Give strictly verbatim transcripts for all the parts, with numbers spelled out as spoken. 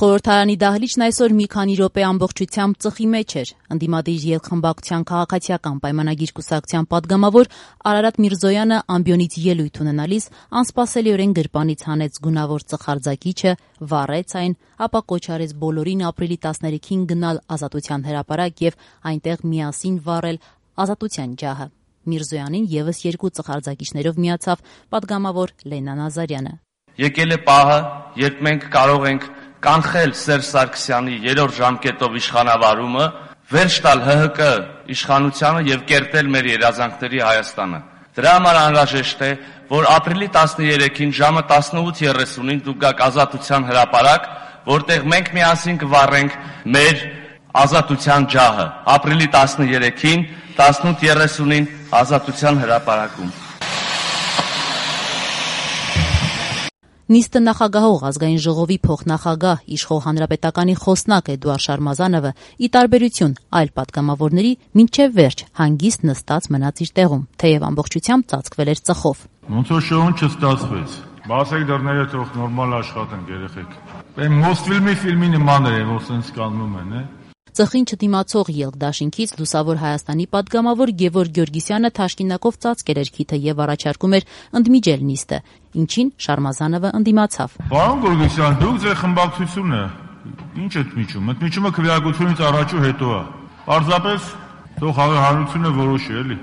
Խորհրդարանի դահլիճն այսօր մի քանի րոպե ամբողջությամբ ծխի մեջ էր։ Ընդդիմադիր երկխմբակցության քաղաքացիական պայմանագիր կուսակցության պատգամավոր Արարատ Միրզոյանը ամբիոնից ելույթ ունենալիս անսպասելիորեն գրպանից հանեց գունավոր ծխարձակիչը, վառեց այն, ապա կոչ արեց բոլորին ապրիլի տասներեքին գնալ Ազատության հրապարակ եւ այնտեղ միասին վառել Ազատության ջահը։ Միրզոյանին եւս երկու ծխարձակիչներով միացավ պատգամավոր Լենա Նազարյանը։ Եկել է պահը, երբ մենք կարող ենք կանխել Սերժ Սարգսյանի երրորդ ժամկետով իշխանավարումը, վերջ տալ ՀՀԿ իշխանությանը եւ կերտել մեր երազանքների Հայաստանը։ Դրա համար անհրաժեշտ է, որ ապրիլի տասներեքին ժամը տասնութ երեսունին դուք գաք Ազատության հրապարակ, որտեղ մենք միասին կվառենք մեր Ազատության ջահը։ Ապրիլի տասներեքին տասնութ երեսունին Ազատության հրապարակում։ Նիստը նախագահող ազգային ժողովի փոխնախագահ իշխող հանրապետականի խոսնակ Էդուարդ Շարմազանովը ի տարբերություն այլ պատգամավորների մինչև վերջ հանգիստ նստած մնաց իր տեղում, թեև ամբողջությամբ ծածկվել էր ծխով։ Ոնց որ շոուն չստացվեց։ Բացեք դռները, թող նորմալ աշխատեն երեխեք։ Այն Մոսֆիլմի ֆիլմի նման է, որ սենց կաննում են, է։ Ծխին չդիմացող Ելք դաշինքից Լուսավոր Հայաստանի պատգամավոր Գևորգ Գյորգիսյանը թաշկինակով ծածկել էր քիթը եւ առաջարկում էր ընդմիջել նիստը, ինչին Շարմազանովը ընդդիմացավ։ Պարոն Գորգիսյան, դուք ձեր խմբակցությունը ինչ եք միջում։ Ընդմիջումը քվեարկությունից առաջ ու հետո է։ Պարզապես թող հանրությունը որոշի, էլի։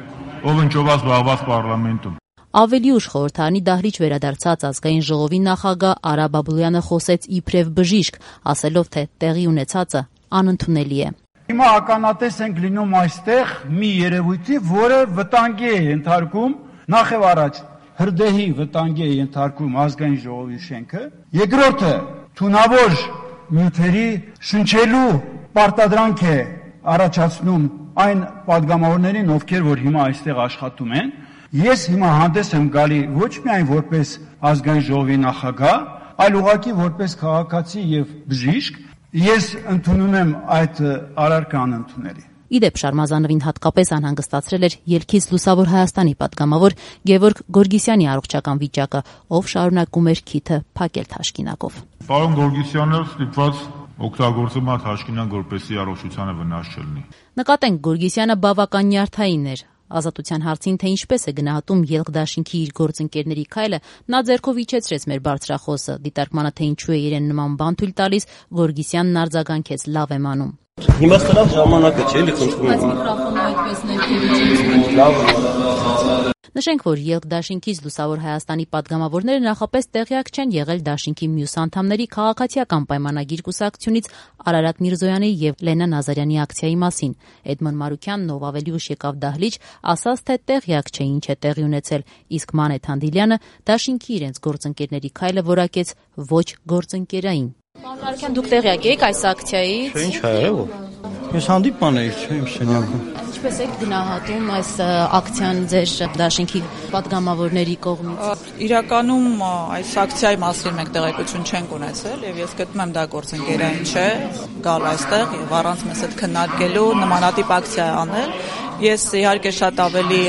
Ով ընկճված զբաղված պարլամենտում։ Ավելի ուշ խորհրդարանի դահլիճ վերադարձած ազգային ժողովի նախագահ Արա Բաբլոյանը խոսեց իբրև բժիշկ, ասելով թե տեղի ունեցածը անընդունելի է։ Հիմա ականատես ենք լինում այստեղ մի երևույթի, որը վտանգի է ենթարկում, նախ եւ առաջ հրդեհի վտանգի է ենթարկում ազգային ժողովի շենքը, երկրորդը թունավոր նյութերի շնչելու պարտադրանք է առաջացնում այն պատգամավորներին, ովքեր որ հիմա այստեղ աշխատում են։ Ես հիմա հանդես եմ գալի ոչ միայն որպես ազգային ժողովի նախագահ, այլ ուղղակի որպես քաղաքացի եւ բժիշկ։ Ես ընդունում եմ այդ արարքան ընդունելի։ Իդեպ Շարմազանովին հատկապես անհանգստացրել էր Ելքից Լուսավոր Հայաստանի պատգամավոր Գևորգ Գորգիսյանի առողջական վիճակը, ով շարունակում էր քիթը փակել թաշկինակով։ Պարոն Գորգիսյանը ստիպված օգտագործում է թաշկինակ, որպեսզի առողջությանը վնաս չլինի։ Նկատենք Գորգիսյանը բավական նյարդային էր։ Ազատության հարցին, թե ինչպես է գնահատում Ելք դաշինքի իր գործընկերների քայլը, նա ձեռքով իջեցրեց մեր բարձրախոսը, դիտարկմանը թե ինչու է իրեն նման բան թույլ տալիս, Գորգիսյանն արձագանքեց՝ լավ եմ անում։ Հիմա ստավ ժամանակը չէ, էլի խնդրում եմ։ Նշենք, որ Ելք դաշինքից Լուսավոր Հայաստանի պատգամավորները նախապես տեղյակ չեն եղել դաշինքի մյուս անդամների քաղաքացիական պայմանագիր կուսակցությունից Արարատ Միրզոյանի եւ Լենա Նազարյանի ակցիայի մասին։ Էդմոն Մարուկյանն, ով ավելի ուշ եկավ դահլիճ, ասաց, թե տեղյակ չէ ինչ է տեղի ունեցել, իսկ Մանեթ Հանդիլյանը դաշինքի իրենց գործընկերների քայլը որակեց ոչ գործընկերային։ Պարոն Մարուկյան, դուք տեղյակ եք այս ակցիայից։ Չէ, ինչ հայերով։ Ես հանդիպման էի, չէ, իմ սենյակում։ Ինչպես եք գնահատում այս ակցիան ձեր դաշինքի պատգամավորների կողմից։ Իրականում այս ակցիայի մասին մենք տեղեկություն չենք ունեցել եւ ես գտնում եմ դա գործընկերային չէ, գալ այստեղ եւ առանց մեզ հետ քննարկելու նմանատիպ ակցիա անել։ Ես իհարկե շատ ավելի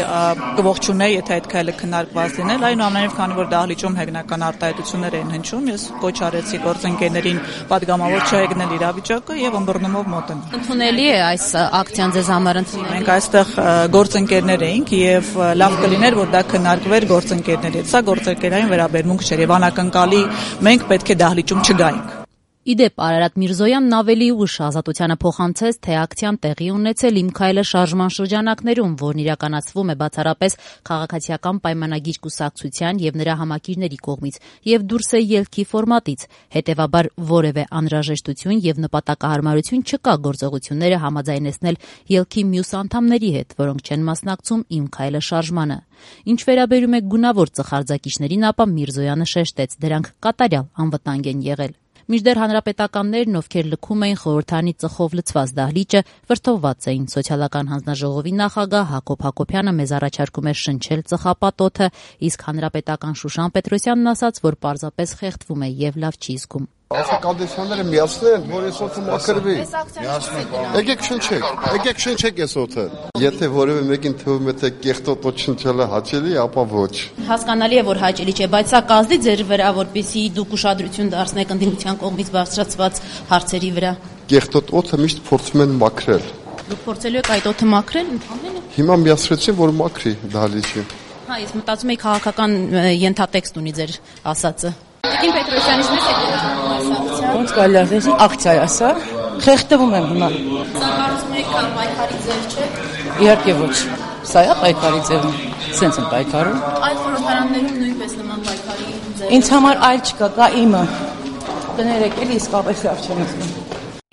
կողջունեի, եթե այդ քայլը քննարկված լիներ, այնուամենայնիվ, քանի որ դահլիճում հեգնական արտահայտություններ էին հնչում, ես կոչ արեցի գործընկերներին պատգամավոր չհեգնել իրավիճակը եւ ըմբռնումով մոտենալ։ Ընդունելի է այս ակցիան ձեզ համար ընդունելի։ Մենք այստեղ գործընկերներ էինք եւ լավ կլիներ, որ դա քննարկվեր գործընկերների հետ։ Սա գործընկերային վերաբերմունք չէր եւ անակնկալի մենք պետք է դահլիճում չգայինք։ Իդեպ Արարատ Միրզոյանն ավելի ուշ Ազատությանը փոխանցեց, թե ակցիան տեղի ունեցել Իմ քայլը շարժման շրջանակներում, որն իրականացվում է բացառապես քաղաքացիական պայմանագիր կուսակցության եւ նրա համակիրների կողմից եւ դուրս է ելքի ֆորմատից։ Հետեւաբար որևէ անհրաժեշտություն եւ նպատակահարմարություն չկա գործողությունները համաձայնեցնել ելքի մյուս անդամների հետ, որոնք չեն մասնակցում Իմ քայլը շարժմանը։ Ինչ վերաբերում է գունավոր ծխարձակիչներին, ապա Միրզոյանը շեշտեց, դրանք կատարյալ անվտանգ են եղել։ Մինչդեռ հանրապետականներն, ովքեր լքում էին խորհրդարանի ծխով լցված դահլիճը, վրդովված էին։ Սոցիալական հանձնաժողովի նախագահ Հակոբ Հակոբյանը մեզ առաջարկում է շնչել ծխապատոթը, իսկ հանրապետական Շուշան Պետրոսյանն ասաց, որ պարզապես խեղդվում է եւ լավ չի զգում։ Աղքատեսյանները միացնել են, որ այս օդը մաքրվի։ Եկեք շնչեք, եկեք շնչեք այս օդը։ Եթե որևէ մեկին թվում է թե կեղտոտ օդ շնչելը հաճելի, ապա ոչ։ Հասկանալի է, որ հաճելի չէ, բայց սա կազդի ձեր վրա, որպեսզի դուք ուշադրություն դարձնեք ընդդիմության կողմից բարձրացված հարցերի վրա։ Կեղտոտ օդը միշտ փորձում են մաքրել։ Դուք փորձելու եք այդ օդը մաքրել ընդհանրապես։ Հիմա միացրեցին, որ մաքրի դահլիճը։ Հա, ես մտածում եի քաղաքական ենթատեքստ ունի ձեր ասածը։ Տիկին Պետրոսյանից մեծ եք ասացիա։ Ոնց կարելի է ասել, ակցիա է սա։ Խեղդվում եմ հիմա։ Սա կարծում եք պայքարի ձև չէ։ Իհարկե ոչ։ Սա է պայքարի ձևը։ Սենց են պայքարում։ Այդ խորհրդարաններում նույնպես նման պայքարի ձև։ Ինձ համար այլ չկա, կա իմը։ Կներեք, էլի իսկապես լավ չեմ զգում։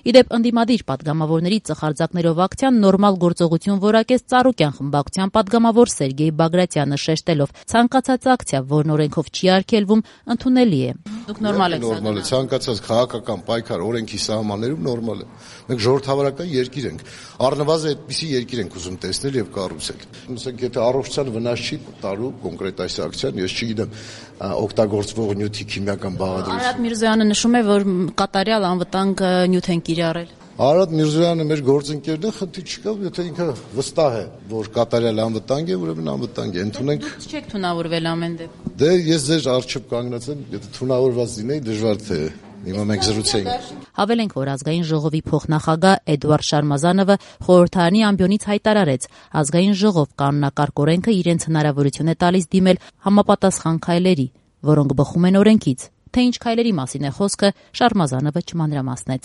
Իդեպ ընդդիմադիր պատգամավորների ծխարձակներով ակցիան նորմալ գործողություն որակեց Ծառուկյան խմբակցության պատգամավոր Սերգեյ Բագրատյանը շեշտելով ցանկացած ակցիա, որն օրենքով չի արգելվում, ընդունելի է։ Դուք նորմալ եք նորմալ է, ցանկացած քաղաքական պայքար օրենքի սահմաններում նորմալ է։ Մենք ժողովրդավարական երկիր ենք։ Առնվազն այդպիսի երկիր ենք ուզում տեսնել եւ կառուցել։ Ասենք եթե առողջության վնաս չի տալու կոնկրետ այս ակցիան, ես չգիտեմ օգտագործվող նյութի քիմիական բաղադրություն։ Արադ Միրզոյանը նշում է, որ կատարյալ անվտանգ նյութ են կիրառել։ Արադ Միրզոյանը մեր գործընկերն է, խնդիր չկա, եթե ինքը վստահ է, որ կատարյալ անվտանգ է, ուրեմն անվտանգ է։ Ընդունենք։ Դուք չեք թունավորվել ամեն դեպքում։ Դե ես ձեր առջև կանգնած եմ, եթե թունավորված լինեի, դժվար թե հիմա մենք զրուցեինք։ Հավելենք, որ ազգային ժողովի փոխնախագահ Էդուարդ Շարմազանովը խորհրդարանի ամբիոնից հայտարարեց, ազգային ժողով կանոնակարգ օրենքը իրենց հնարավորություն է տալիս դիմել համապատասխան քայլերի, որոնք բխում են օրենքից։ Թե ինչ քայլերի մասին է խոսքը, Շարմազանովը չմանրամասնեց։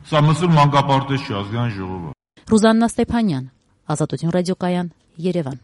Սա մսուր մանկապարտեզ չի ազգային ժողովը։ Ռուզաննա Ստեփանյան, Ազատություն ռադիոկայան, Երևան։